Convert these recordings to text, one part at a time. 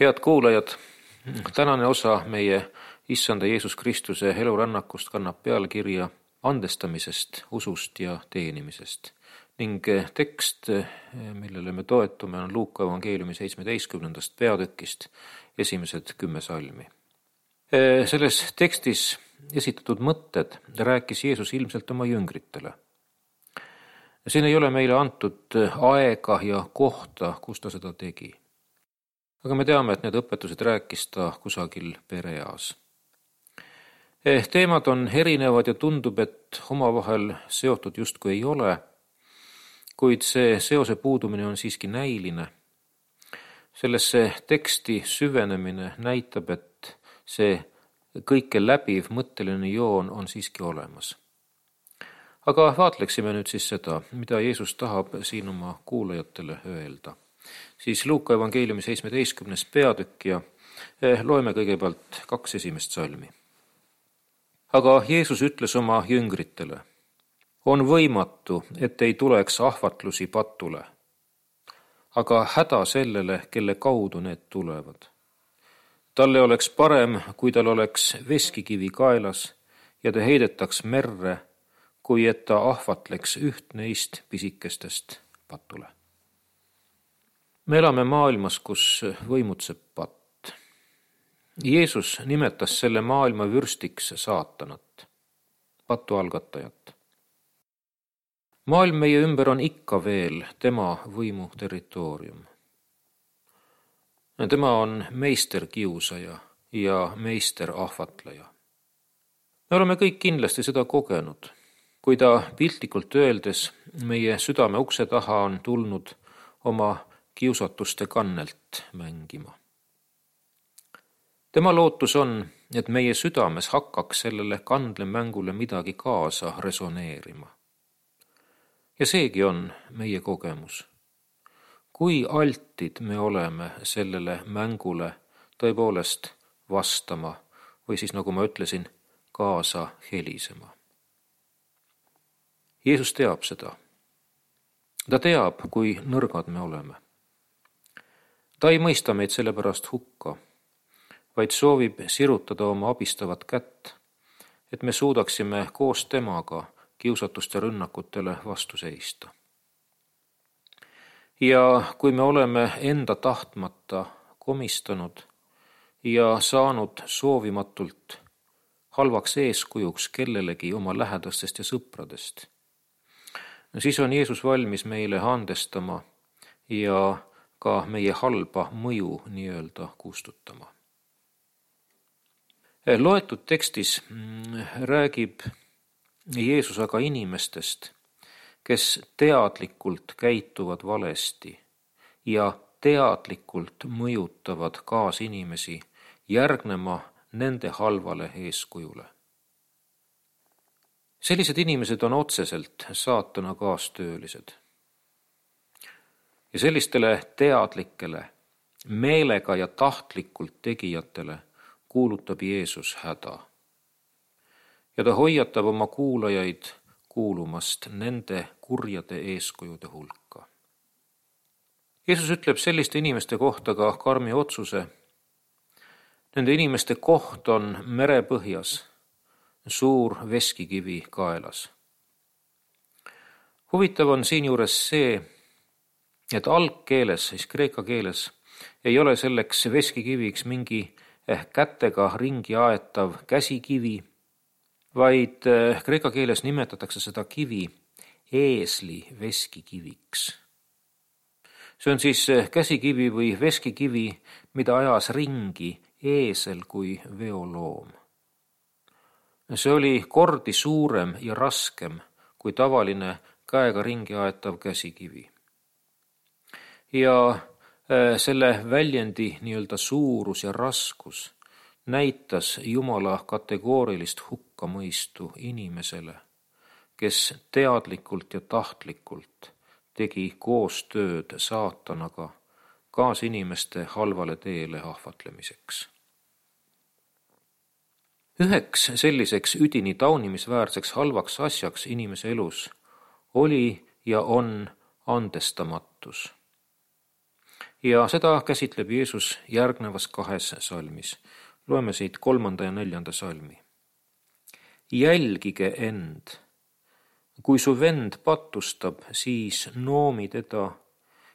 Head kuulajad, tänane osa meie Issanda Jeesus Kristuse elurännakust kannab pealkirja andestamisest, usust ja teenimisest. Ning tekst, millele me toetume, on Luuka evangeeliumi 17. peatükist esimesed 10 salmi. Selles tekstis esitatud mõtted rääkis Jeesus ilmselt oma jüngritele. Siin ei ole meile antud aega ja kohta, kus ta seda tegi. Aga me teame, et need õpetused rääkis ta kusagil pereeas. Teemad on erinevad ja tundub, et omavahel seotud justkui ei ole, kuid see seose puudumine on siiski näiline. Sellesse teksti süvenemine näitab, et see kõike läbiv mõtteline joon on siiski olemas. Aga vaatleksime nüüd siis seda, mida Jeesus tahab siin oma kuulajatele öelda. Siis Luuka evangeeliumi 17. peatükk ja loeme kõigepealt 2 esimest salmi. Aga Jeesus ütles oma jüngritele: on võimatu, et ei tuleks ahvatlusi patule, aga häda sellele, kelle kaudu need tulevad. Talle oleks parem, kui tal oleks veskikivi kaelas ja ta heidetaks merre, kui et ta ahvatleks üht neist pisikestest patule. Me elame maailmas, kus võimutseb patt. Jeesus nimetas selle maailma vürstiks saatanat, patu algatajat. Maailm meie ümber on ikka veel tema võimu territoorium. Tema on meisterkiusaja ja meisterahvatleja. Me oleme kõik kindlasti seda kogenud, kui ta piltlikult öeldes meie südame ukse taha on tulnud oma kiusatuste kannelt mängima. Tema lootus on, et meie südames hakkaks sellele kandlemängule midagi kaasa resoneerima. Ja seegi on meie kogemus. Kui altid me oleme sellele mängule tõepoolest vastama või siis, nagu ma ütlesin, kaasa helisema. Jeesus teab seda. Ta teab, kui nõrgad me oleme. Ta ei mõista meid sellepärast hukka, vaid soovib sirutada oma abistavat kätt, et me suudaksime koos temaga kiusatuste rünnakutele vastu seista. Ja kui me oleme enda tahtmata komistanud ja saanud soovimatult halvaks eeskujuks kellelegi oma lähedastest ja sõpradest, siis on Jeesus valmis meile andestama ja ka meie halba mõju nii-öelda kustutama. Loetud tekstis räägib Jeesus aga inimestest, kes teadlikult käituvad valesti ja teadlikult mõjutavad kaasinimesi järgnema nende halvale eeskujule. Sellised inimesed on otseselt saatana kaastöölised. Ja sellistele teadlikele, meelega ja tahtlikult tegijatele kuulutab Jeesus häda. Ja ta hoiatab oma kuulajaid kuulumast nende kurjade eeskujude hulka. Jeesus ütleb selliste inimeste kohta ka karmi otsuse. Nende inimeste koht on merepõhjas, suur veskikivi kaelas. Huvitav on siinjuures see, et algkeeles, siis kreeka keeles, ei ole selleks veskikiviks mingi kätega ringi aetav käsikivi, vaid kreeka keeles nimetatakse seda kivi eesli veskikiviks. See on siis käsikivi või veskikivi, mida ajas ringi eesel kui veoloom. See oli kordi suurem ja raskem kui tavaline käega ringi aetav käsikivi. Ja selle väljendi nii-öelda suurus ja raskus näitas Jumala kategoorilist hukkamõistu inimesele, kes teadlikult ja tahtlikult tegi koostööd saatanaga kaasinimeste halvale teele ahvatlemiseks. Üheks selliseks üdini taunimisväärseks halvaks asjaks inimese elus oli ja on andestamatus. Ja seda käsitleb Jeesus järgnevas 2 salmis. Loeme siit 3. ja 4. salmi. Jälgige end. Kui su vend patustab, siis noomi teda,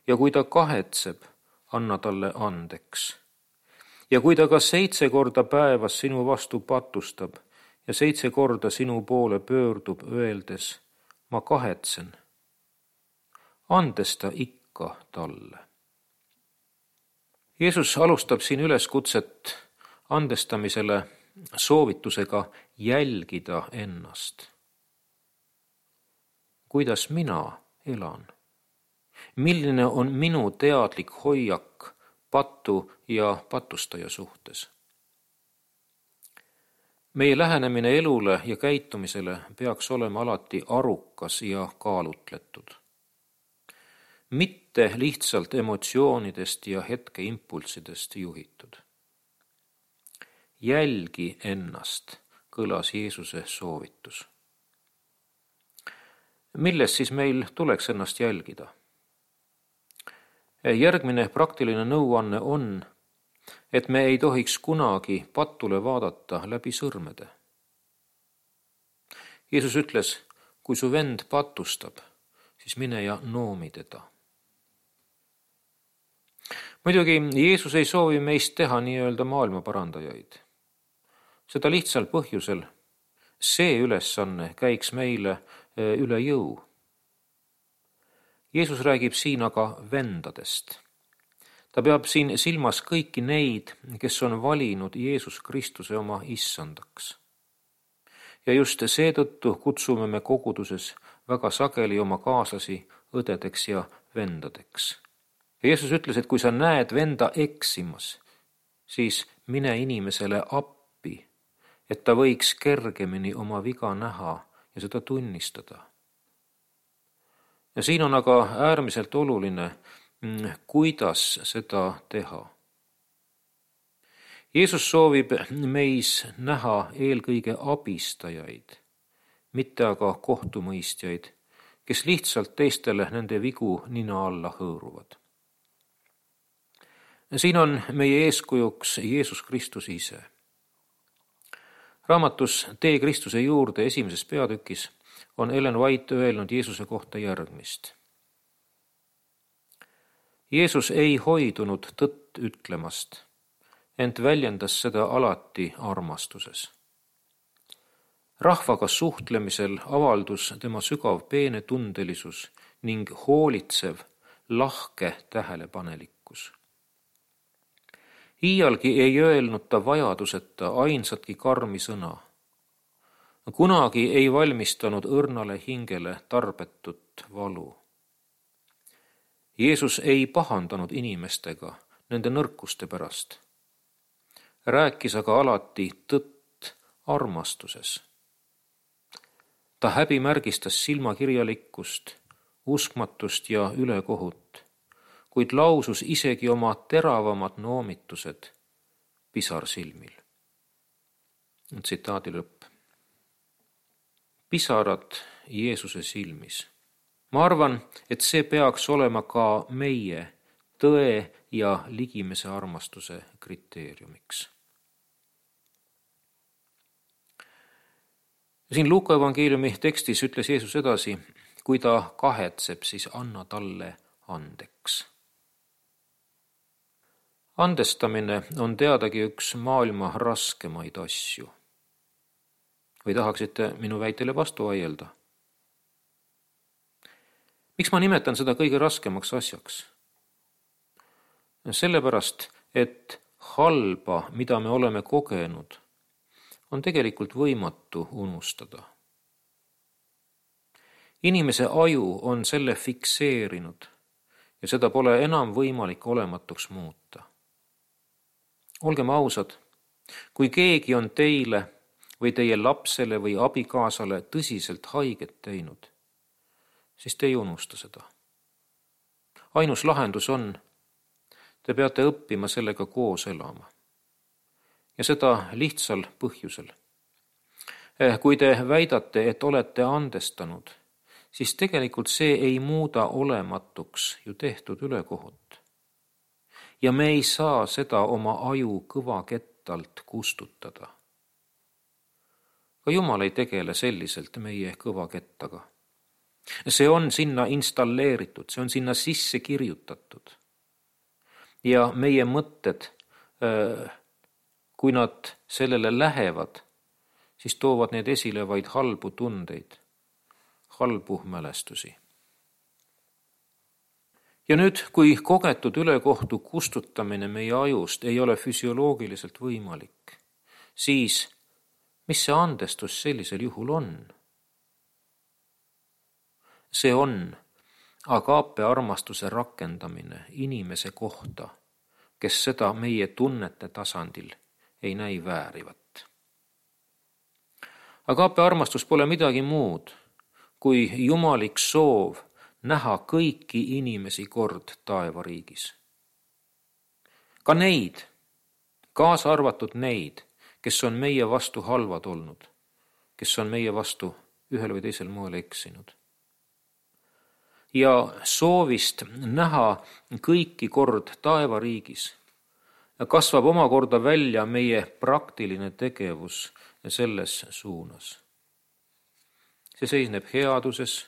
ja kui ta kahetseb, anna talle andeks. Ja kui ta ka 7 korda päevas sinu vastu patustab ja 7 korda sinu poole pöördub, öeldes, ma kahetsen, andesta ikka talle. Jeesus alustab siin üleskutset andestamisele soovitusega jälgida ennast. Kuidas mina elan? Milline on minu teadlik hoiak pattu ja patustaja suhtes? Meie lähenemine elule ja käitumisele peaks olema alati arukas ja kaalutletud. Mitte lihtsalt emotsioonidest ja hetkeimpulssidest juhitud. Jälgi ennast, kõlas Jeesuse soovitus. Milles siis meil tuleks ennast jälgida? Järgmine praktiline nõuanne on, et me ei tohiks kunagi patule vaadata läbi sõrmede. Jeesus ütles, kui su vend patustab, siis mine ja noomi teda. Muidugi Jeesus ei soovi meist teha nii-öelda maailma parandajaid. Seda lihtsal põhjusel, see ülesanne käiks meile üle jõu. Jeesus räägib siin aga vendadest. Ta peab siin silmas kõiki neid, kes on valinud Jeesus Kristuse oma issandaks. Ja just seetõttu kutsume me koguduses väga sageli oma kaaslasi õdedeks ja vendadeks. Jeesus ütles, et kui sa näed venda eksimas, siis mine inimesele appi, et ta võiks kergemini oma viga näha ja seda tunnistada. Ja siin on aga äärmiselt oluline, kuidas seda teha. Jeesus soovib meis näha eelkõige abistajaid, mitte aga kohtumõistjaid, kes lihtsalt teistele nende vigu nina alla hõõruvad. Siin on meie eeskujuks Jeesus Kristus ise. Raamatus Tee Kristuse juurde 1. peatükis on Ellen White öelnud Jeesuse kohta järgmist. Jeesus ei hoidunud tõtt ütlemast, ent väljendas seda alati armastuses. Rahvaga suhtlemisel avaldus tema sügav peenetundelisus ning hoolitsev, lahke tähelepanelikkus. Iialgi ei öelnud ta vajaduseta ainsatki karmi sõna. Kunagi ei valmistanud õrnale hingele tarbetut valu. Jeesus ei pahandanud inimestega nende nõrkuste pärast. Rääkis aga alati tõtt armastuses. Ta häbimärgistas silmakirjalikkust, uskmatust ja ülekohut, kuid lausus isegi oma teravamad noomitused pisarsilmil. Tsitaadi lõpp. Pisarad Jeesuse silmis. Ma arvan, et see peaks olema ka meie tõe ja ligimese armastuse kriteeriumiks. Siin Luuka evangeeliumi tekstis ütles Jeesus edasi, kui ta kahetseb, siis anna talle andeks. Andestamine on teadagi üks maailma raskemaid asju. Või tahaksite minu väitele vastu vaielda? Miks ma nimetan seda kõige raskemaks asjaks? Sellepärast, et halba, mida me oleme kogenud, on tegelikult võimatu unustada. Inimese aju on selle fikseerinud ja seda pole enam võimalik olematuks muuta. Olgem ausad, kui keegi on teile või teie lapsele või abikaasale tõsiselt haiget teinud, siis te ei unusta seda. Ainus lahendus on, te peate õppima sellega koos elama. Ja seda lihtsal põhjusel. Kui te väidate, et olete andestanud, siis tegelikult see ei muuda olematuks ju tehtud ülekohut. ja me ei saa seda oma aju kõvakettalt kustutada. Ka Jumal ei tegele selliselt meie kõvakettaga. See on sinna installeeritud, see on sinna sisse kirjutatud. Ja meie mõtted, kui nad sellele lähevad, siis toovad need esile vaid halbu tundeid, halbu mälestusi. Ja nüüd, kui kogetud ülekohtu kustutamine meie ajust ei ole füsioloogiliselt võimalik, siis mis see andestus sellisel juhul on? See on agaape armastuse rakendamine inimese kohta, kes seda meie tunnete tasandil ei näi väärivat. Agaape armastus pole midagi muud kui jumalik soov näha kõiki inimesi kord taevariigis. Ka neid, kaasa arvatud neid, kes on meie vastu halvad olnud, kes on meie vastu ühel või teisel moel eksinud. Ja soovist näha kõiki kord taevariigis kasvab omakorda välja meie praktiline tegevus selles suunas. See seisneb headuses,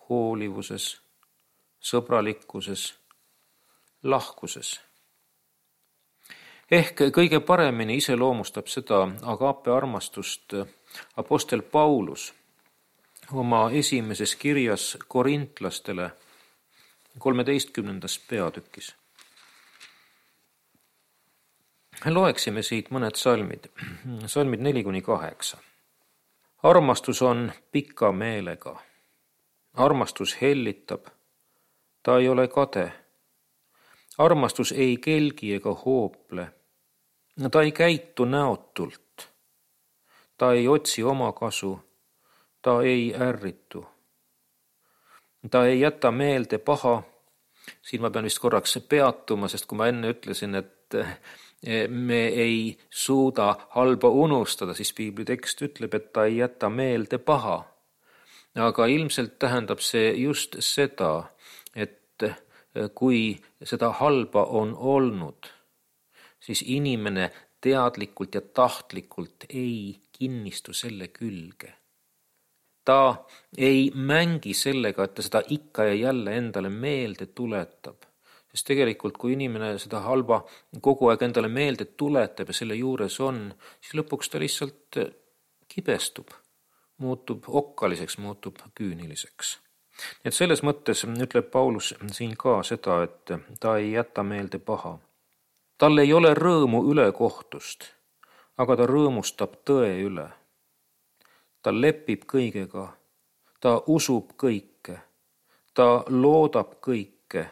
hoolivuses, sõbralikkuses, lahkuses. Ehk kõige paremini iseloomustab seda agaape armastust apostel Paulus oma esimeses kirjas korintlastele 13. peatükis. Loeksime siit mõned salmid. Salmid 4-8. Armastus on pika meelega. Armastus hellitab. Ta ei ole kade. Armastus ei kelgi ega hoople. Ta ei käitu näotult. Ta ei otsi oma kasu. Ta ei ärritu. Ta ei jäta meelde paha. Siin ma pean vist korraks peatuma, sest kui ma enne ütlesin, et me ei suuda halba unustada, siis piibli tekst ütleb, et ta ei jäta meelde paha. Aga ilmselt tähendab see just seda, et kui seda halba on olnud, siis inimene teadlikult ja tahtlikult ei kinnistu selle külge. Ta ei mängi sellega, et ta seda ikka ja jälle endale meelde tuletab. Sest tegelikult, kui inimene seda halba kogu aeg endale meelde tuletab ja selle juures on, siis lõpuks ta lihtsalt kibestub, muutub okkaliseks, muutub küüniliseks. Et selles mõttes ütleb Paulus siin ka seda, et ta ei jäta meelde paha. Tal ei ole rõõmu ülekohtust, aga ta rõõmustab tõe üle. Ta lepib kõigega, ta usub kõike, ta loodab kõike,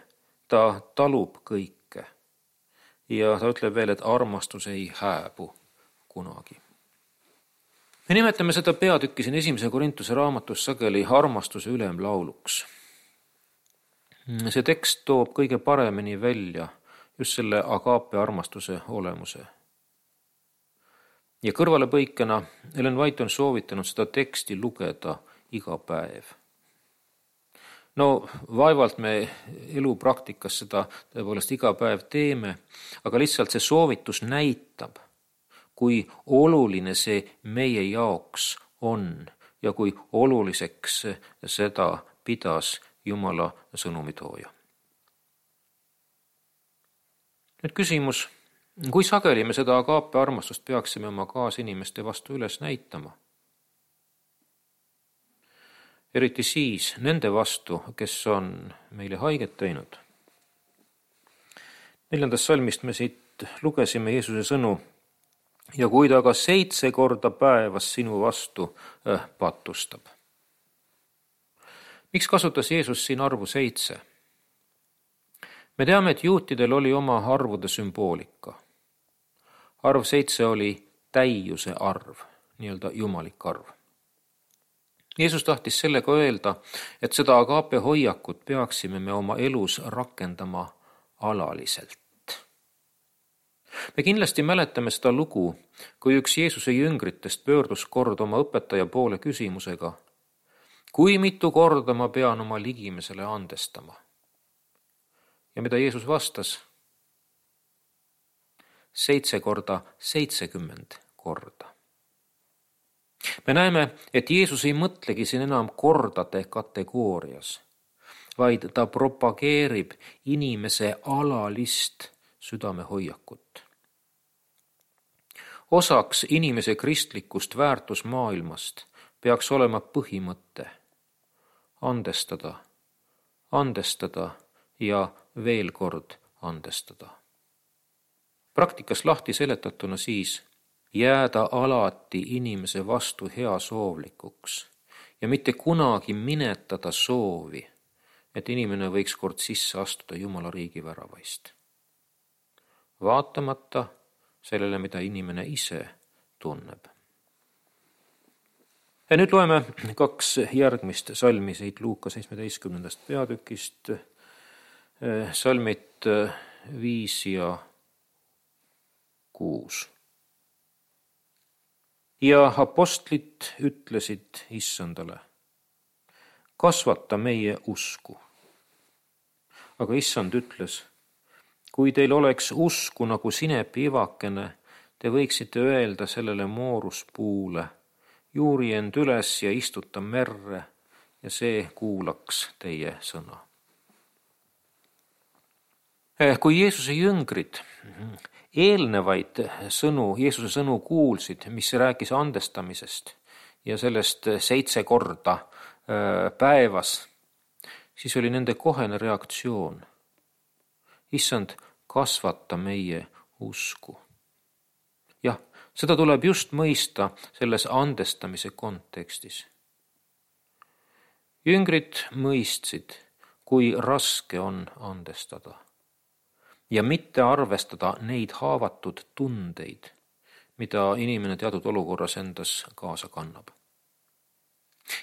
ta talub kõike. Ja ta ütleb veel, et armastus ei hääbu kunagi. Me nimetame seda peatükki siin 1. Korintuse raamatus sageli armastuse ülemlauluks. See tekst toob kõige paremini välja just selle agaape armastuse olemuse. Ja kõrvalepõikena Ellen White on soovitanud seda teksti lugeda iga päev. No vaevalt me elupraktikas seda tõepoolest iga päev teeme, aga lihtsalt see soovitus näitab, kui oluline see meie jaoks on ja kui oluliseks seda pidas Jumala sõnumitooja. Nüüd küsimus, kui sageli me seda agaape armastust peaksime oma kaasinimeste vastu üles näitama? Eriti siis nende vastu, kes on meile haiget teinud. 4. salmist me siit lugesime Jeesuse sõnu, ja kui ta ka 7 korda päevas sinu vastu patustab. Miks kasutas Jeesus siin arvu 7? Me teame, et juutidel oli oma arvude sümboolika. Arv 7 oli täiuse arv, nii-öelda jumalik arv. Jeesus tahtis sellega öelda, et seda agaape hoiakut peaksime me oma elus rakendama alaliselt. Me kindlasti mäletame seda lugu, kui üks Jeesuse jüngritest pöördus kord oma õpetaja poole küsimusega, kui mitu korda ma pean oma ligimesele andestama. Ja mida Jeesus vastas? 7 korda 70 korda. Me näeme, et Jeesus ei mõtlegi siin enam kordade kategoorias, vaid ta propageerib inimese alalist südamehoiakut. Osaks inimese kristlikust väärtusmaailmast peaks olema põhimõte andestada ja veel kord andestada. Praktikas lahti seletatuna siis jääda alati inimese vastu heasoovlikuks ja mitte kunagi minetada soovi, et inimene võiks kord sisse astuda Jumala riigi väravaist. Vaatamata sellele, mida inimene ise tunneb. Ja nüüd loeme 2 järgmist salmi siit Luuka 17. peatükist, salmid 5 ja 6. Ja apostlid ütlesid issandale, kasvata meie usku. Aga issand ütles, kui teil oleks usku nagu sinepiivakene, te võiksite öelda sellele mooruspuule, juuri end üles ja istuta merre ja see kuulaks teie sõna. Kui Jeesuse jüngrid eelnevaid Jeesuse sõnu kuulsid, mis rääkis andestamisest ja sellest 7 korda päevas, siis oli nende kohene reaktsioon. Issand, kasvata meie usku. Jah, seda tuleb just mõista selles andestamise kontekstis. Jüngrid mõistsid, kui raske on andestada ja mitte arvestada neid haavatud tundeid, mida inimene teatud olukorras endas kaasa kannab.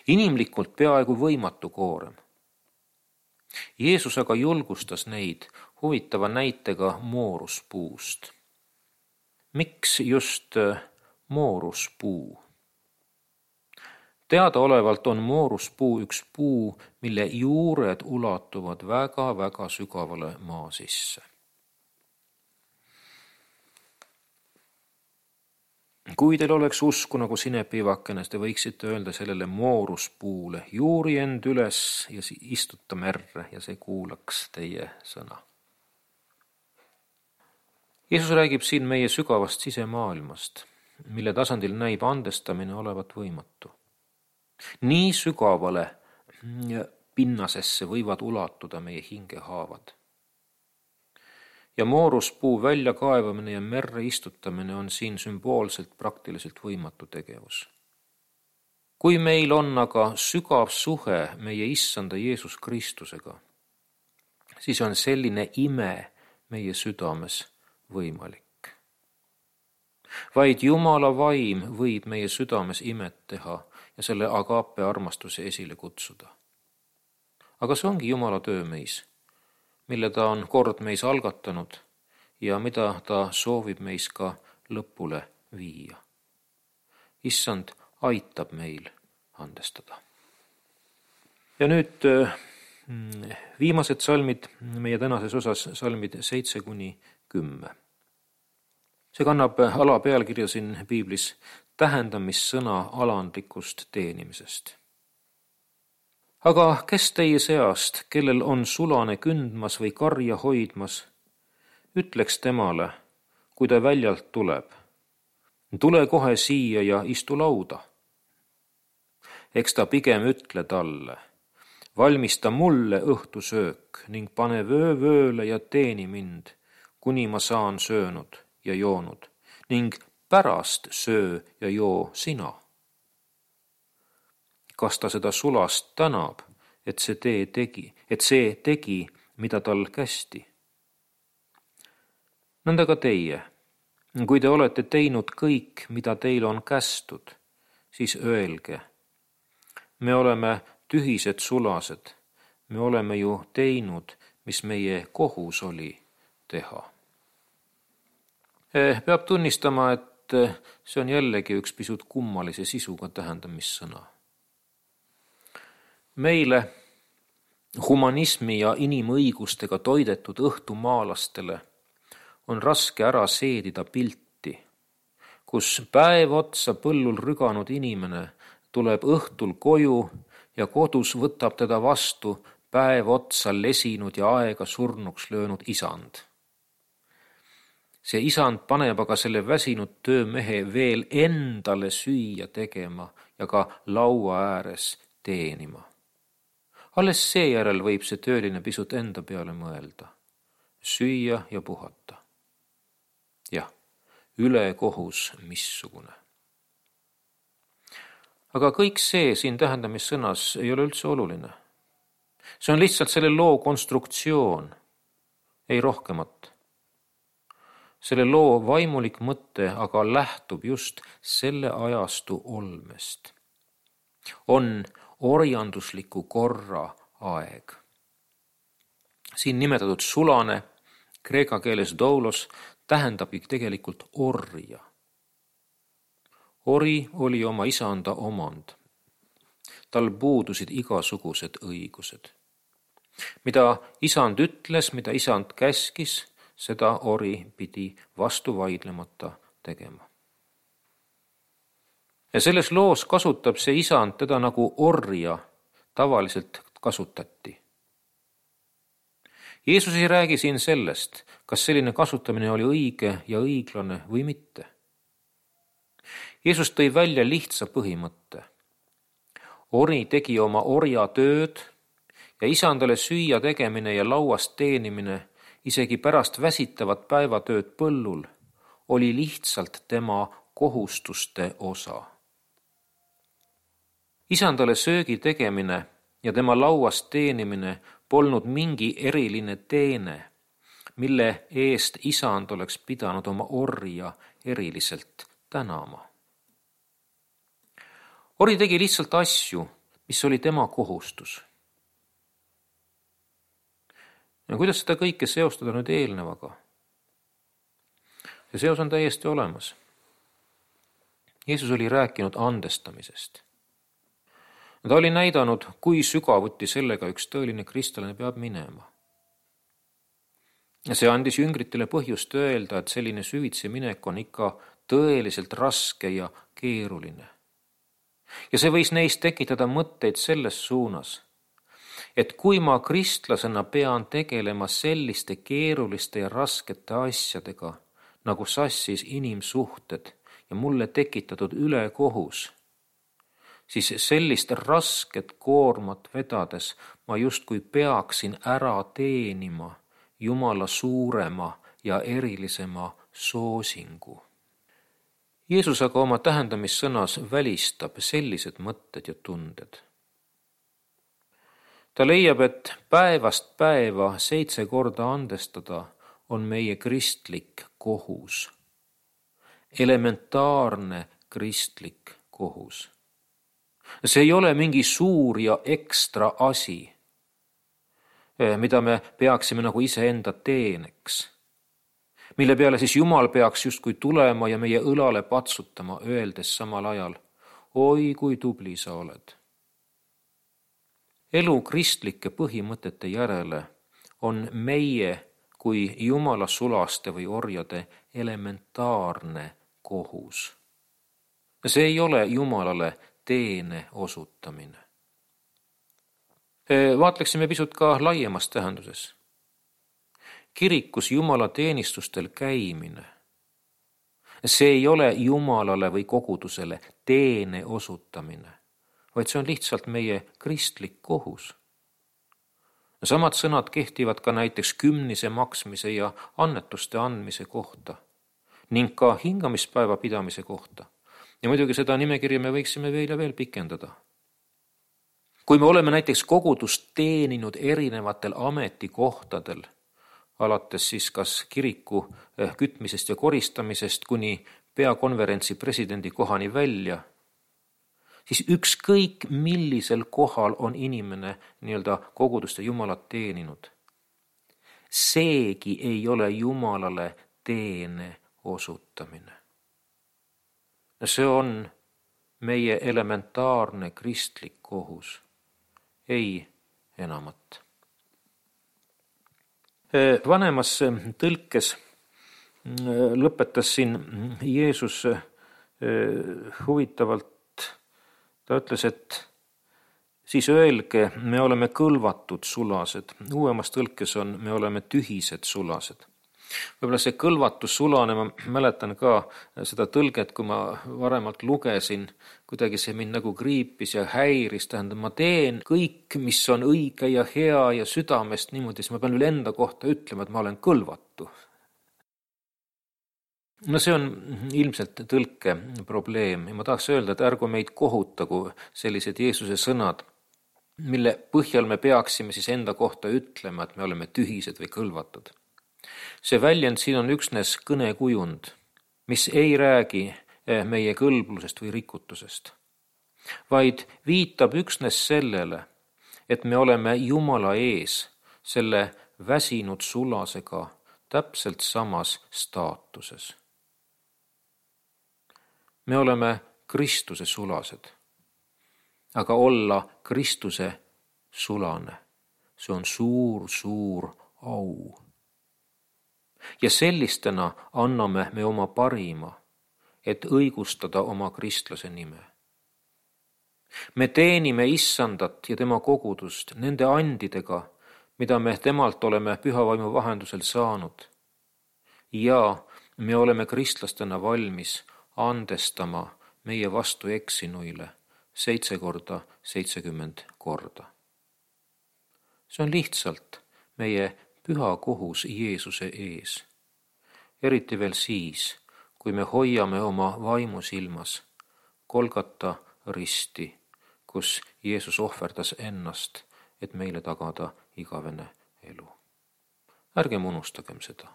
Inimlikult peaaegu võimatu koorem. Jeesus aga julgustas neid huvitava näitega mooruspuust. Miks just mooruspuu? Teadaolevalt on mooruspuu üks puu, mille juured ulatuvad väga-väga sügavale maa sisse. Kui teil oleks usku nagu sinepiivakene, te võiksite öelda sellele mooruspuule, juuri end üles ja istuta merre ja see kuulaks teie sõna. Jeesus räägib siin meie sügavast sisemaailmast, mille tasandil näib andestamine olevat võimatu. Nii sügavale pinnasesse võivad ulatuda meie hingehaavad. Ja mooruspuu väljakaevamine ja merre istutamine on siin sümboolselt praktiliselt võimatu tegevus. Kui meil on aga sügav suhe meie issanda Jeesus Kristusega, siis on selline ime meie südames võimalik. Vaid Jumala vaim võib meie südames imet teha ja selle agape armastuse esile kutsuda. Aga see ongi Jumala töö meis, mille ta on kord meis algatanud ja mida ta soovib meis ka lõpule viia. Issand aitab meil andestada. Ja nüüd viimased salmid meie tänases osas, salmid 7-10. See kannab alapealkirja siin piiblis tähendamissõna alandlikust teenimisest. Aga kes teie seast, kellel on sulane kündmas või karja hoidmas, ütleks temale, kui ta väljalt tuleb, tule kohe siia ja istu lauda. Eks ta pigem ütle talle, valmista mulle õhtusöök ning pane vöövööle ja teeni mind, kuni ma saan söönud ja joonud ning pärast söö ja joo sina. Kas ta seda sulast tänab, et see tegi, mida tal kästi? Nõnda ka teie, kui te olete teinud kõik, mida teil on kästud, siis öelge, me oleme tühised sulased, me oleme ju teinud, mis meie kohus oli teha. Peab tunnistama, et see on jällegi üks pisut kummalise sisuga tähendamissõna. Meile, humanismi ja inimõigustega toidetud õhtumaalastele, on raske ära seedida pilti, kus päev otsa põllul rüganud inimene tuleb õhtul koju ja kodus võtab teda vastu päev otsa lesinud ja aega surnuks löönud isand. See isand paneb aga selle väsinud töömehe veel endale süüa tegema ja ka laua ääres teenima. Alles seejärel võib see tööline pisut enda peale mõelda, süüa ja puhata. Jah, ülekohus missugune. Aga kõik see siin tähendamissõnas ei ole üldse oluline. See on lihtsalt selle loo konstruktsioon, ei rohkemat. Selle loo vaimulik mõte aga lähtub just selle ajastu olmest. On orjandusliku korra aeg. Siin nimetatud sulane, kreeka keeles doulos, tähendabki tegelikult orja. Ori oli oma isanda omand. Tal puudusid igasugused õigused. Mida isand ütles, mida isand käskis, seda ori pidi vastu vaidlemata tegema. Ja selles loos kasutab see isand teda nagu orja tavaliselt kasutati. Jeesus ei räägi siin sellest, kas selline kasutamine oli õige ja õiglane või mitte. Jeesus tõi välja lihtsa põhimõtte. Ori tegi oma orja tööd ja isandale süüa tegemine ja lauast teenimine isegi pärast väsitavat päevatööd põllul oli lihtsalt tema kohustuste osa. Isandale söögi tegemine ja tema lauast teenimine polnud mingi eriline teene, mille eest isand oleks pidanud oma orja eriliselt tänama. Ori tegi lihtsalt asju, mis oli tema kohustus. Ja kuidas seda kõike seostada nüüd eelnevaga? See seos on täiesti olemas. Jeesus oli rääkinud andestamisest. Ta oli näidanud, kui sügavuti sellega üks tõeline kristlane peab minema. Ja see andis jüngritele põhjust öelda, et selline süvitsi minek on ikka tõeliselt raske ja keeruline. Ja see võis neist tekitada mõtteid selles suunas, et kui ma kristlasena pean tegelema selliste keeruliste ja raskete asjadega, nagu sassis inimsuhted ja mulle tekitatud ülekohus, siis sellist rasket koormat vedades ma justkui peaksin ära teenima Jumala suurema ja erilisema soosingu. Jeesus aga oma tähendamissõnas välistab sellised mõtted ja tunded. Ta leiab, et päevast päeva 7 korda andestada on meie kristlik kohus. Elementaarne kristlik kohus. See ei ole mingi suur ja ekstra asi, mida me peaksime nagu iseenda teeneks, mille peale siis Jumal peaks justkui tulema ja meie õlale patsutama, öeldes samal ajal, oi kui tubli sa oled. Elu kristlike põhimõtete järele on meie kui Jumala sulaste või orjade elementaarne kohus. See ei ole Jumalale teene osutamine. Vaatleksime pisut ka laiemas tähenduses. Kirikus Jumala teenistustel käimine. See ei ole Jumalale või kogudusele teene osutamine, vaid see on lihtsalt meie kristlik kohus. Samad sõnad kehtivad ka näiteks kümnise maksmise ja annetuste andmise kohta ning ka hingamispäeva pidamise kohta. Ja muidugi seda nimekirja me võiksime veel ja veel pikendada. Kui me oleme näiteks kogudust teeninud erinevatel ametikohtadel, alates siis kas kiriku kütmisest ja koristamisest kuni peakonverentsi presidendi kohani välja, siis ükskõik millisel kohal on inimene kogudust ja Jumalat teeninud. Seegi ei ole Jumalale teene osutamine. See on meie elementaarne kristlik kohus, ei enamat. Vanemas tõlkes lõpetas siin Jeesus huvitavalt, ta ütles, et siis öelge, me oleme kõlvatud sulased. Uuemas tõlkes on, me oleme tühised sulased. Võib-olla see kõlvatus sulane, ma mäletan ka seda tõlget, kui ma varemalt lugesin, kuidagi see mind nagu kriipis ja häiris, tähendab, ma teen kõik, mis on õige ja hea ja südamest niimoodi, siis ma pean üle enda kohta ütlema, et ma olen kõlvatu. No see on ilmselt tõlke probleem ja ma tahaks öelda, et ärgu meid kohutagu sellised Jeesuse sõnad, mille põhjal me peaksime siis enda kohta ütlema, et me oleme tühised või kõlvatud. See väljend siin on üksnes kõnekujund, mis ei räägi meie kõlblusest või rikutusest, vaid viitab üksnes sellele, et me oleme Jumala ees selle väsinud sulasega täpselt samas staatuses. Me oleme Kristuse sulased, aga olla Kristuse sulane, see on suur au. Ja sellistena anname me oma parima, et õigustada oma kristlase nime. Me teenime Issandat ja tema kogudust nende andidega, mida me temalt oleme pühavaimu vahendusel saanud. Ja me oleme kristlastena valmis andestama meie vastu eksinuile 7 korda 70 korda. See on lihtsalt meie püha kohus Jeesuse ees. Eriti veel siis, kui me hoiame oma vaimu silmas Golgata risti, kus Jeesus ohverdas ennast, et meile tagada igavene elu. Ärgem unustagem seda.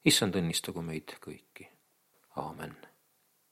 Issand õnnistagu meid kõiki.